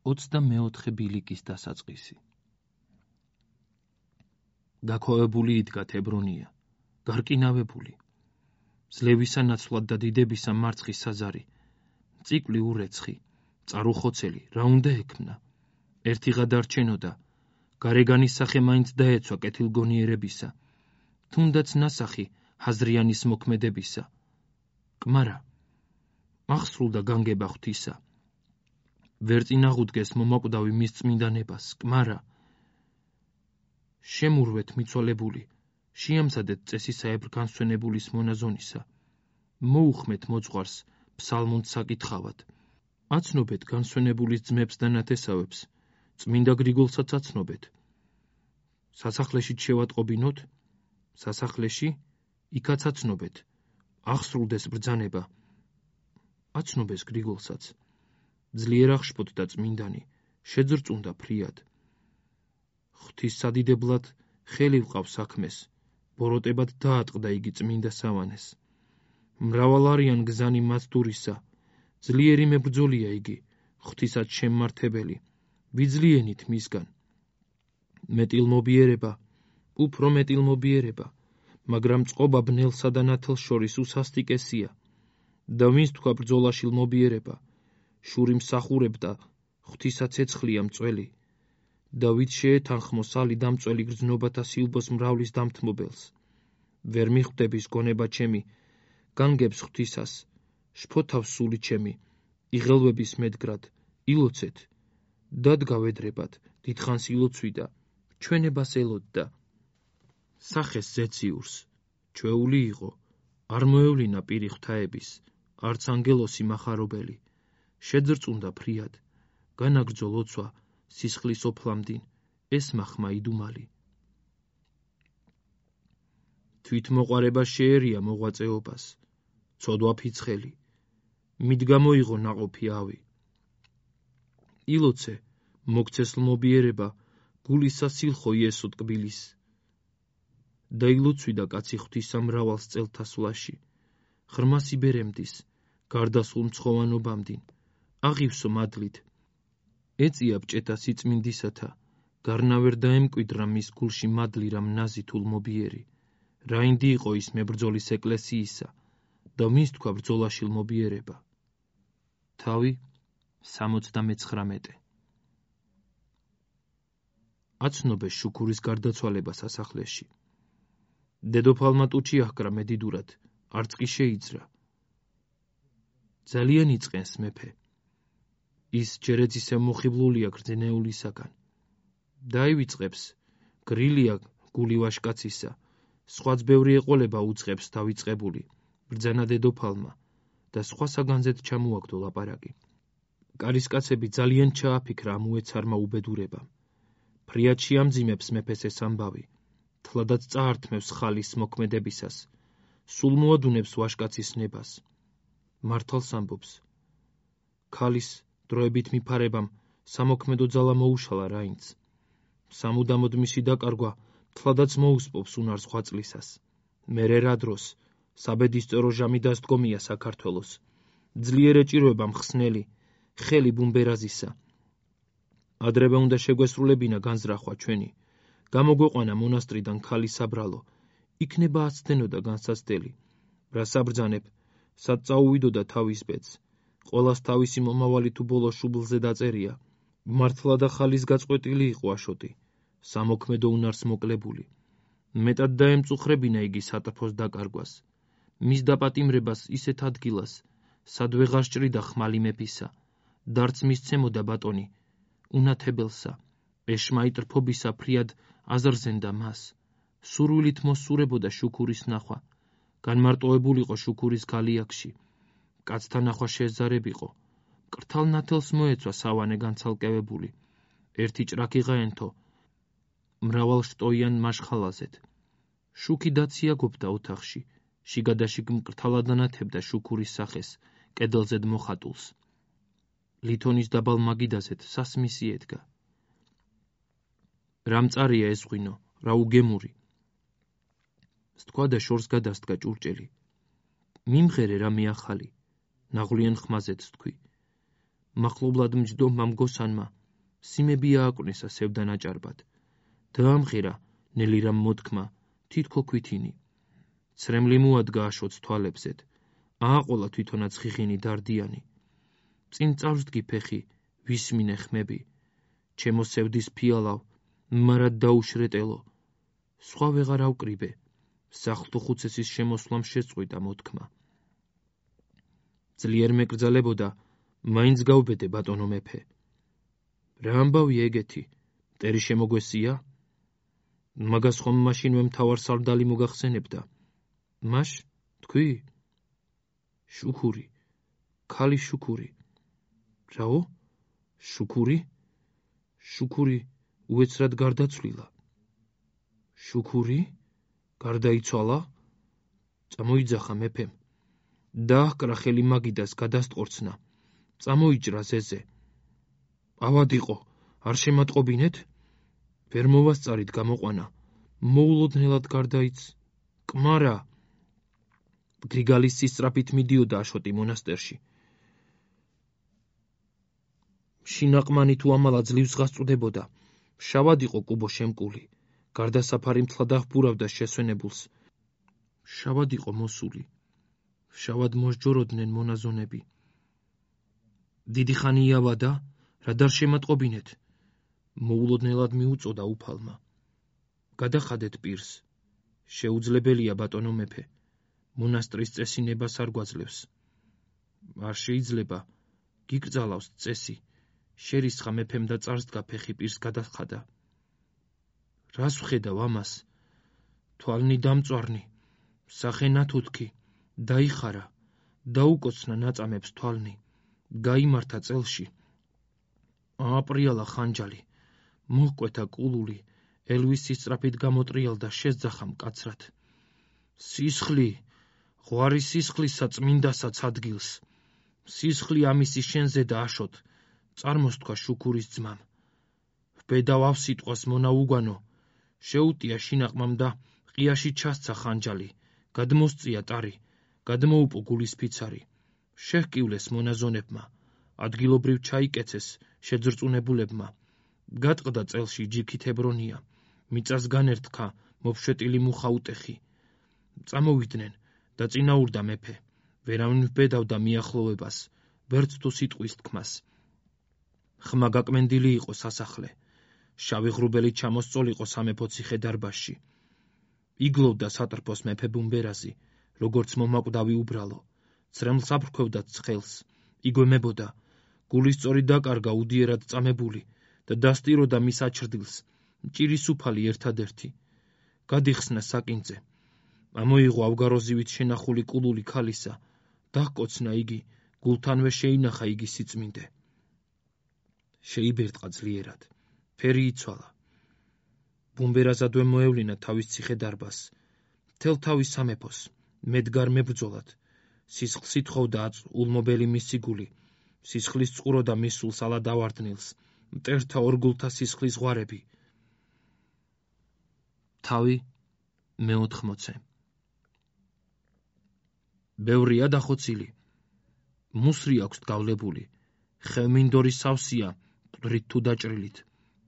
24 ბილიკის დასაწყისი. გაქვავებული იდგა თებრონია, გარკინავებული. ძლევისა ნაცვლად და დიდებისა მარცხი საზარი, მწიკვლი ურეცხი, წარუხოცელი, რა უნდა ექმნა. ერთი გადარჩენოდა, გარეგანის სახე მაინც დაეცვა კეთილგონიერებისა, თუნდაც ნასახი ჰაზრიანის მოქმედებისა. კმარა, აღსრულდა განგება ღვთისა. ვერ წინ აღუდგეს მომაკვდავი მის წმინდანებას, კმარა. შემურვეთ მიცვალებული, შეამზადეთ წესისაებრ განსვენებულის მონაზონისა. მოუხმეთ მოძღვარს ფსალმუნდს საკითხავად. აცნობეთ განსვენებულის ძმებს და ნათესავებს, წმინდა გრიგოლსაც აცნობეთ. სასახლეში შევატყობინოთ, სასახლეში იქაც აცნობეთ. აღსრულდეს ბრძანება. აცნობეს გრიგოლსაც. ძლიერ აღშფოთდა წმინდანი, შეძრწუნდა ფრიად. ღვთის სადიდებლად ხელი ვყავს საქმეს, ბოროტებად დაატყდა იგი წმინდა სავანეს. მრავალ არიან გზანი მათ დურისა, ძლიერი მებრძოლია იგი, ღვთისაც შემმართებელი, ვიძლიენით მისგან. მეტილმობიერება, უფრო მეტილმობიერება, მაგრამ წყობა ბნელსა და ნათელს შორის უსასტიკესია. და ვინც თქვა ბრძოლაშილ მობიერება, შური მსახურებდა, ღვთისაც ეცხლია მწველი. და ვით შეეთანხმოს ალი დამწველი გრძნობათა სილბოს მრავლის დამთმობელს. ვერ მიხვდების გონება ჩემი, განგებს ღვთისას, შფოთავს სული ჩემი, იღელვების მედგრად, ილოცეთ. დადგა ვედრებად, დიდხანს ილოცვიდა, ჩვენებას ელოდდა. სახეს ზეციურს, ჩვეული იყო, არ მოევლინა პირი ღვთაების, არც ანგელოსი მახარობელი. შეძრწუნდა ფრიად, განაგრძო ლოცვა, სისხლის ოფლამდინ, ესმახმა იდუმალი. თვითმოყვარება შეერია მოღვაწეობას, ცოდვა ფიცხელი, მიდგა მოიღო ნაყოფი ავი. ილოცე, მოგცესლმობიერება, გულისა სილხო იესო ტკბილის. და ილოცვიდა კაცი ღვთისა მრავალ წელთა სვლაში, ღრმა სიბერემდის, გარდასულ მცხოვანობამდინ, აღივსო მადლით. ეწია ბჭეთა სიწმინდისათა, გარნა ვერ დაემკვიდრა მის გულში მადლი რამ ნაზი თულმობიერი. რაინდი იყო ის მებრძოლის ეკლესიისა, და ვინც თქვა ბრძოლაშილ მობიერება. თავი 79. აცნობეს შუქურის გარდაცვალება სასახლეში. დედოფალმა ტუჩი აჰკრა მედიდურად, არც კი შეიძრა. ძალიან იწყენს მეფე. ის ჯერეც ისე მოხიბლულია გრძნეულისაგან. დაივიწყებს, გრილია გული ვაშკაცისა, სხვაც ბევრი ეყოლება უწყებს დავიწყებული, ბრძანა დედოფალმა, და სხვა საგანზეთ ჩამოაგდო ლაპარაკი. კარისკაცები ძალიან ჩააფიქრა ამ უეცარმა უბედურებამ. ფრიად შეამძიმებს მეფეს ეს ამბავი, თლადაც წაართმევს ხალის მოქმედებისას, სულ მოადუნებს ვაშკაცის ნებას. მართალს ამბობს. ქალის დროებით მიფარებამ სამოქმედო ძალა მოუშალა რაინც. სამუდამოდ მისი დაკარგვა თლადაც მოუსპობს უნარს ხვაწლისას. მერე რა დროს საბედისწერო ჟამი დასდგომია საქართველოს. ძლიერ ეჭირვება მხსნელი, ხელი ბუმბერაზისა. ადრევე უნდა შეგვესრულებინა განზრახვა ჩვენი. გამოგვეყვანა მონასტრიდან ქალის საბრალო, იქნება აცდენოდა განსაცდელი. რა საბრძანებ, სად წაუვიდოდა თავის ბედს. ყველას თავისი მომავალი თუ ბოლო შუბლზე დაწერია. მართლა და ხალის გაწყვეტილი იყო აშოტი, სამოქმედო უნარს მოკლებული. მეტად დაემწუხრებინა იგი სატრფოს დაკარგვას. მის დაპატიმრებას ისეთ ადგილას, სად ვეღარ სჭრიდა ხმალი მეფისა, დარც მისცემოდა ბატონი, უნათებელსა, ეშმაიტრფობისა ფრიად აზრზენდა მას. სურვილით მოსურებოდა შუქურის ნახვა, განმარტოებულიყო შუქურის გალიაკში. კაცთა ნახვა შეზარებიყო, კრთალ ნათელს მოეცვა სავანე განცალკევებული. ერთი ჭრაკი ღაენთო, მრავალ შტოიან მაშხალაზეთ. შუქი დაციაგობდა ოთახში, შიგადაშიგ მკრთალად ანათებდა შუქურის სახეს, კედელზედ მოხატულს. ლითონის დაბალ მაგიდაზეთ სასმისი ედგა. რა მწარია ეს ღვინო, რა უგემური. სთქვა და შორს გადასდგა ჭურჭელი. მიმღერე რა მიახალი, ნაღვლიან ხმაზეც თქვი. მახლობლად მჯდომმა მგოსანმა, სიმები ააკვნესა სევდა ნაჭარბად. დაამღერა ნელი რამ მოთქმა, თითქო ქვითინი. ცრემლი მოადგა აშოც თვალებზედ, ააყოლა თვითონაც ხიხინი დარდიანი. წინ წავსდგი ფეხი, ვისმინე ხმები, ჩემო სევდის ფიალავ, მარად დაუშრეტელო, სხვა ვეღარ ავკრიბე, სახლთო ხუცესის შემოსვლამ შეწყვიტა მოთქმა. ძლიერ მეკრძალებოდა, მაინც გავბედე ბატონო მეფე. რა ამბავია ეგეთი, მტერი შემოგვესია? მაგას ხომ მაშინვე მთავარ სარდალი მოგახსენებდა. მაშ, თქვი? შუქური, ქალი შუქური. რაო? შუქური? შუქური უეცრად გარდაცვლილა. შუქური? გარდაიცვალა? წამოიძახა მეფემ. დააჰკრა ხელი მაგიდას გადასტყორცნა. წამოიჭრა ზეზე. ავადიყო, არ შემატყობინეთ? ვერ მოვასწარით გამოყვანა. მოულოდნელად გარდაიც. კმარა. გრიგალის სისწრაფით მიდიოდა აშოტი მონასტერში. შინაყმანი თუ ამალა ძლივს გასწვდებოდა. შავად იყო კუბო შემკული. გარდასაფარი მთლად აღბურავდა შესვენებულს. შავად იყო მოსული. შავად მოსჯოროდნენ მონაზონები. დიდი ხანი იავადა, რად არ შემატყობინეთ? მოულოდნელად მიუწოდა უფალმა. გადახადეთ პირს. შეუძლებელია ბატონო მეფე. მონასტრის წესი ნებას არ გვაძლევს. არ შეიძლება, გიკრძალავს წესი. შერისხა მეფემ და წარსდგა ფეხი პირს გადახადა. რას ვხედავ ამას? თვალნი დამწვარნი, სახე ნათუთქი, დაიხარა, დაუკოცნა ნაწამებს თვალნი, გაიმართა წელში. ააპრიალა ხანჯალი, მოჰკვეთა კულული, ელვის სისწრაფით გამოტრიალდა შესძახა მკაცრად. სისხლი, ღვარი სისხლისა წმინდასაც ადგილს. სისხლი ამისი შენზე და აშოთ, წარმოსთქვა შუქურის ძმამ. ვბედავ ავსიტყვას მონა უგვანო, შეუტია შინაყმამ და ყიაში ჩასცა ხანჯალი, გადმოსწია ტარი, გადმოუპო გულის ფიცარი. შეჰკივლეს მონაზონებმა, ადგილობრივ ჩაიკეცეს შეძრწუნებულებმა. გატყდა წელში ჯიქით ებრონია, მიწას განერთქა მოფშეტილი მუხა უტეხი. წამოვიდნენ და წინაურდა მეფე, ვერავინ ვბედავდა მიახლოვებას, ვერც თუ სიტყვის თქმას. ხმა გაკმენდილი იყო სასახლე, შავი ღრუბელი ჩამოსწოლიყო სამეფო ციხე-დარბაზში. იგლოვდა სატრფოს მეფე ბუმბერაზი, როგორც მომაკვდავი უბრალო, ცრემლს აფრქვევდა ცხელს, იგვემებოდა, გულისწორი დაკარგა უდიერად წამებული და დასტიროდა მის აჩრდილს, მჭირის უფალი ერთადერთი. გადიხსნა საკინძე, ამოიღო ავგაროზივით შენახული კულული ქალისა, დაჰკოცნა იგი, გულთანვე შეინახა იგი სიწმინდე. შეიბერტყა ძლიერად, ფერი იცვალა. ბუმბერაზადვე მოევლინა თავის ციხე-დარბაზს, მთელ თავის სამეფოს, მედგარ მებრძოლად. სისხლს ითხოვდა ულმობელი მისი გული, სისხლის წყუროდა მისულს ალა დავარდნილს, მტერთა ორგულთა სისხლის ზღვარები. თავი მე-80. ბევრია დახოცილი, მუსრი აქვს დავლებული, ხევმინდორი სავსია, მყვრით თუ დაჭრილით.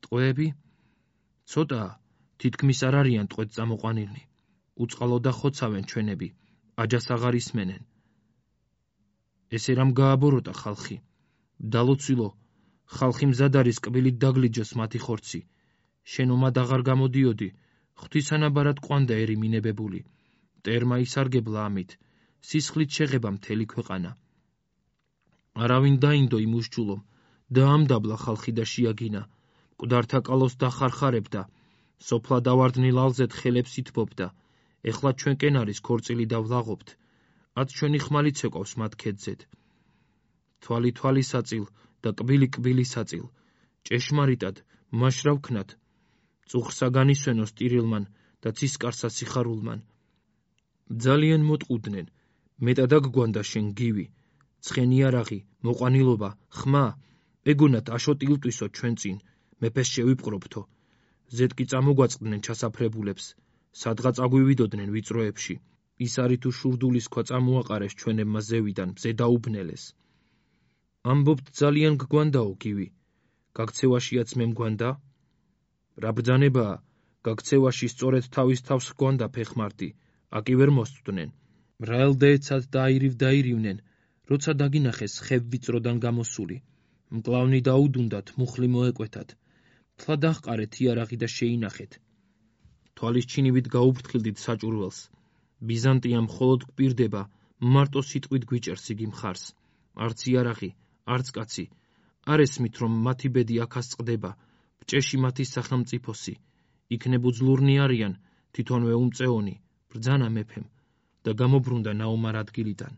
ტყვეები? ცოტაა, თითქმის არ არიან ტყვედ წამოყვანილნი. უწყალო და ხოცავენ ჩვენები, აჯას აღარ ისმენენ. ესე რამ გააბოროტა ხალხი? დალოცვილო, ხალხი მზად არის კბილით დაგლიჯოს მათი ხორცი. შენ ომად აღარ გამოდიოდი, ღვთისანაბარად ყვანდა ერი მინებებული. მტერმა ისარგებლა ამით, სისხლით შეღება მთელი ქვეყანა. არავინ დაინდო იმ უსჯულომ, დაამდაბლა ხალხი და შეაგინა, მკვდართა კალოს დახარხარებდა, სოფლა დავარდნილ ალზეთ ხელებს ითბობდა, ეხლა ჩვენკენ არის ქორწილი და ვლაღობთ, ათ ჩვენი ხმალი ცეკვავს მათ ქედზედ. თვალი თვალისაწილ და კბილი კბილისაწილ, ჭეშმარიტად, მაშრა ვქნათ, წუხრსა განისვენოს ტირილმან და ცისკარსა სიხარულმან. ძალიან მოტყუდნენ, მეტად აგგვანდა შენ გივი, ცხენი არაღი, მოყვანილობა, ხმა, ეგონათ აშოტი ილტვისო ჩვენ წინ, მეფეს შევიპყრობთო. ზედ კი წამოგვაწყდნენ ჩასაფრებულებს, სადღაც აგვივიდოდნენ ვიწროებში, ის არის თუ შურდულის ქვა წამოაყარეს ჩვენებმა ზევიდან, მზე დაუბნელეს. ამბობთ ძალიან გგვანდაო გივი, გაქცევაშიაც მე მგვანდა? რა ბრძანებაა, გაქცევაში სწორედ თავის თავს ჰგვანდა ფეხმართი, აკი ვერ მოსწვდნენ. რა ელდეეცად დაირივდნენ, როცა დაგინახეს ხევ ვიწროდან გამოსული. მკლავნი დაუდუნდათ, მუხლი მოეკვეთათ. თლა დაჰყარეთ იარაღი და შეინახეთ. თვალის ჩინივით გაუფრთხილდით საჭურველს. ბიზანტია მხოლოდ გვპირდება, მარტო სიტყვით გვიჭერს იგი მხარს. არც იარაღი, არც კაცი. არ ესმით, რომ მათი ბედი აქაც წყდება, ბჭეში მათი სახელმწიფოსი. იქნებ უძლურნი არიან, თვითონვე უმწეონი, ბრძანა მეფემ და გამობრუნდა ნაომარ ადგილიდან.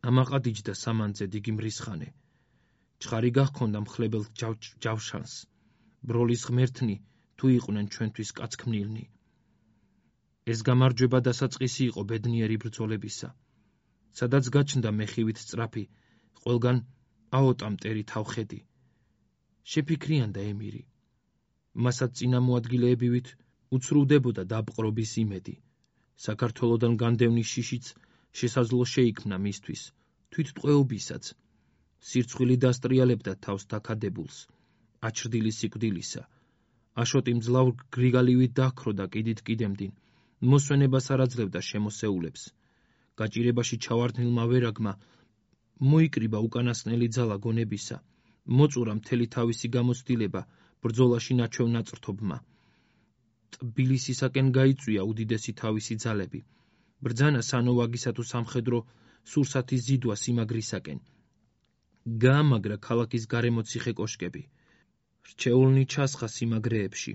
ამაყადიჯდა სამანძედ იგი მრისხანე. ჩხარი გაჰქონდა მხლებელ ჯავშანს. ბროლის ღმერთნი თუ იყვნენ ჩვენთვის კაცქმნილნი. ეს გამარჯვება დასაწყისი იყო ბედნიერი ბრძოლებისა. სადაც გაჩნდა მეხივით სწრაფი, ყველგან აოტა მტერი თავხედი. შეფიქრიანდა ემირი. მასაც წინამოადგილეებივით უცრუვდებოდა დაპყრობის იმედი. საქართველოდან განდევნის შიშიც შესაძლო შეიქმნა მისთვის, თვითტყვეობისაც. სირცხვილი დასტრიალებდა თავს დაქადებულს, აჩრდილი სიკვდილისა. აშოტი მძლავრ გრიგალივით დაჰქროდა კიდით კიდემდინ, მოსვენებას არ აძლევდა შემოსეულებს. გაჭირებაში ჩავარდნილმა ვერაგმა მოიკრიბა უკანასკნელი ძალა გონებისა, მოწურა მთელი თავისი გამოცდილება ბრძოლაში ნაჩვევ ნაწრთობმა. ტბილისისაკენ გაიწვია უდიდესი თავისი ძალები. ბრძანა სანოვაგისა თუ სამხედრო სურსათის ზიდვა სიმაგრისაკენ. გაამაგრა ქალაქის გარემო ციხე კოშკები. რჩეულნი ჩასხა სიმაგრეებში.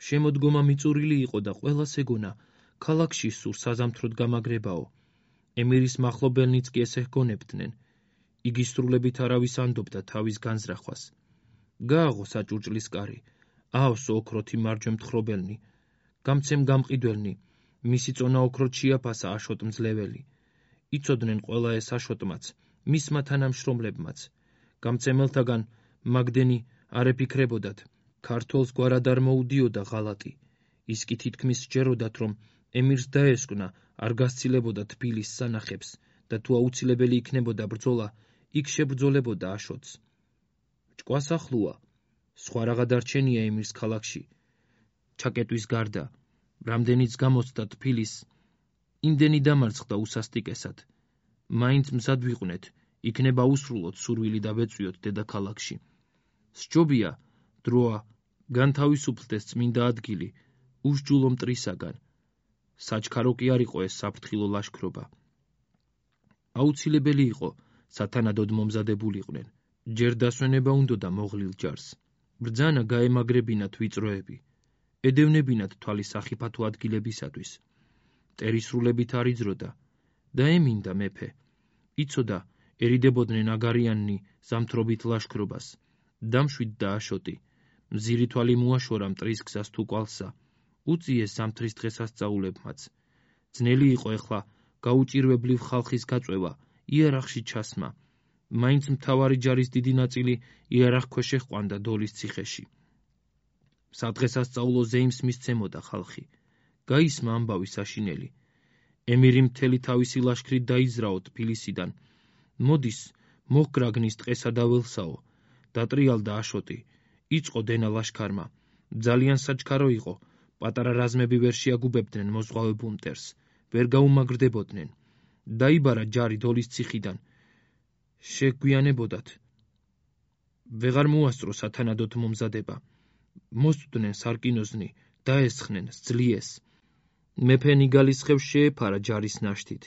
შემოდგომა მიწურილი იყო და ყველას ეგონა, ქალაქში სულ საზამთროდ გამაგრებაო. ემირის მახლობელნიც კი ესე ჰგონებდნენ. იგი სრულებით არავის ანდობდა თავის განზრახვას. გააღო საჭურჭლის კარი, აავსო ოქროთი მარჯვე მთხრობელნი, გამცემ გამყიდველნი, მისი წონა ოქროთ შეაფასა აშოტ მძლეველი. იცოდნენ ყველა ეს აშოტმაც, მისმა თანამშრომლებმაც. გამცემელთაგან მაგდენი არ ეფიქრებოდათ, ქართველს გვარად არ მოუდიოდა ღალატი. ის კი თითქმის სჯეროდათ, რომ ემირს დაესკვნა, არ გასცილებოდა თბილის სანახებს და თუ აუცილებელი იქნებოდა ბრძოლა, იქ შებრძოლებოდა აშოტს. ჭკვას ახლოა, სხვა რაღა დარჩენია ემირს ქალაქში. ჩაკეტვის გარდა, რამდენიც გამოცდა თბილის, იმდენი დამარცხდა უსასტიკესად. მაინც მზად ვიყვნეთ, იქნება უსრულოთ სურვილი და ვეწვიოთ დედაქალაქში. სჯობია, დროა, განთავისუფლდეს წმინდა ადგილი, უსჯულო მტრისაგან. საჩქარო კი არ იყო ეს საფრთხილო ლაშქრობა. აუცილებელი იყო, სათანადოდ მომზადებულიყვნენ. ჯერ დასვენება უნდოდა მოღლილ ჯარს. ბრძანა გაემაგრებინათ ვიწროები. ედევნებინათ თვალის სახიფათო ადგილებისათვის. მტერისრულებით არ იძროდა. დაემინდა მეფე. იცოდა, ერიდებოდნენ აგარიანნი ზამთრობით ლაშქრობას. დამშვიდდა აშოტი. მზირი თვალი მოაშორა მტრის გზას თუ კვალსა. უწიეს ზამთრის დღესასწაულებმაც. ძნელი იყო ეხლა გაუჭირვებლივ ხალხის გაწვევა, იარაღში ჩასმა. მაინც მთავარი ჯარის დიდი ნაწილი იარაღ ქვეშ ეჰყვანდა დოლის ციხეში. სადღესასწაულო ზეიმს მისცემოდა ხალხი. გაისმა ამბავი საშინელი. ემირი მთელი თავისი ლაშქრით დაიზრაო თბილისიდან. მოდის, მოჰგრაგნის ტყესა და ველსაო. დატრიალდა აშოტი. იწყო დენა ლაშქარმა. ძალიან საჩქარო იყო. პატარა რაზმები ვერ შეაგუბებდნენ მოზღვავებულ მტერს. ვერ გაუმაგრდებოდნენ. დაიბარა ჯარი დოლის ციხიდან. შეგვიანებოდათ. ვეღარ მოასწრო სათანადოდ მომზადება. მოსწვდნენ სარკინოზნი, დაესხნენ, სძლიეს. მეფე ნიგალის ხევს შეეფარა ჯარის ნაშთით.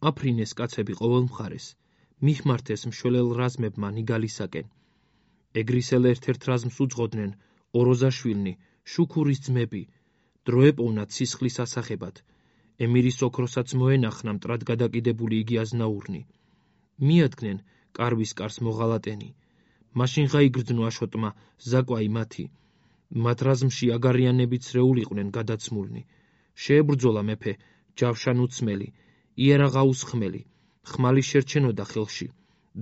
აფრინეს კაცები ყოველ მხარეს. მიხმართეს მშველელ რაზმებმა ნიგალისაკენ. ეგრისელ ერთ-ერთ რაზმს უძღოდნენ ოროზაშვილნი, შუქურის ძმები. დრო ეპოვნათ სისხლის ასახებად. ემირის ოქროსაც მოენახნა მტრად გადაკიდებული იგი აზნაურნი. მიადგნენ კარვის კარს მოღალატენი. მაშინ გაიგრძნო აშოტმა ზაკვაი მათი. მათ რაზმში აგარიანები ცრეულიყვნენ გადაცმულნი. შეებრძოლა მეფე ჯავშან უცმელი, იარაღ აუსხმელი. ხმალი შერჩენოდა ხელში.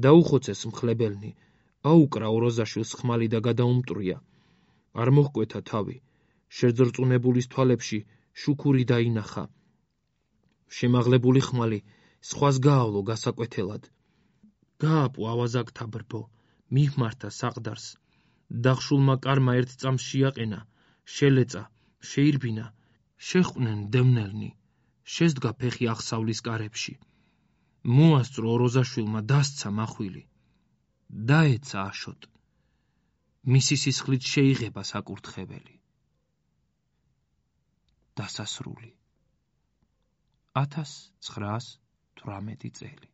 დაუხოცეს მხლებელნი. აუკრა ოროზაშვილს ხმალი და გადაუმტრია. არ მოჰკვეთა თავი. შეძრწუნებულის თვალებში შუქური დაინახა. შემაღლებული ხმალი სხვას გაავლო გასაკვეთელად. გააპო ავაზაკთა ბრბო. მიჰმართა საყდარს, დახშულმა კარმა ერთ წამს შეაყენა, შელეწა, შეირბინა, შეჰყვნენ დევნელნი, შესდგა ფეხი აღსავლის კარებში. მოასწრო ოროზაშვილმა დასცა მახვილი, დაეცა აშოტ, მისი სისხლით შეიღება საკურთხეველი. დასასრული 1918 წელი.